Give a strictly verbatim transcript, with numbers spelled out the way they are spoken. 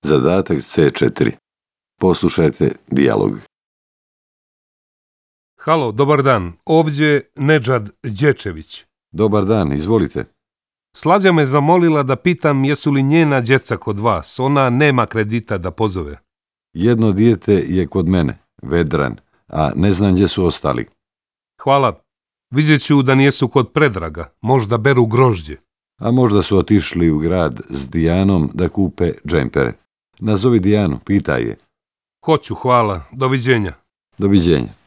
Zadatak C četiri. Poslušajte dijalog. Halo, dobar dan. Ovdje Nedžad Đečević. Dobar dan, izvolite. Slađa me zamolila da pitam jesu li njena djeca kod vas. Ona nema kredita da pozove. Jedno dijete je kod mene, Vedran, a ne znam gdje su ostali. Hvala. Vidjet ću da nijesu kod Predraga. Možda beru grožđe. A možda su otišli u grad s Dijanom da kupe džempere. Nazovi Dijanu, pitaj je. Hoću, hvala. Doviđenja. Doviđenja.